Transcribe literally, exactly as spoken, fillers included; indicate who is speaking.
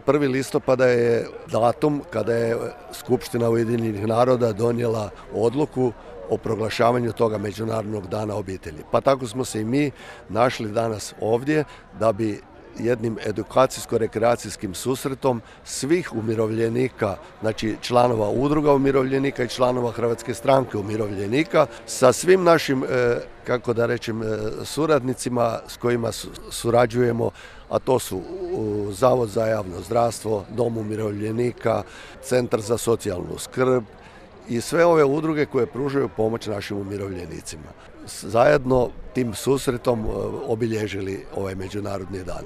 Speaker 1: prvi listopada je datum kada je Skupština Ujedinjenih naroda donijela odluku o proglašavanju toga Međunarodnog dana obitelji. Pa tako smo se i mi našli danas ovdje da bi jednim edukacijsko-rekreacijskim susretom svih umirovljenika, znači članova udruga umirovljenika i članova Hrvatske stranke umirovljenika, sa svim našim, kako da rečem, suradnicima s kojima surađujemo, a to su Zavod za javno zdravstvo, Dom umirovljenika, Centar za socijalnu skrb i sve ove udruge koje pružaju pomoć našim umirovljenicima. Zajedno tim susretom obilježili ovaj Međunarodni dan.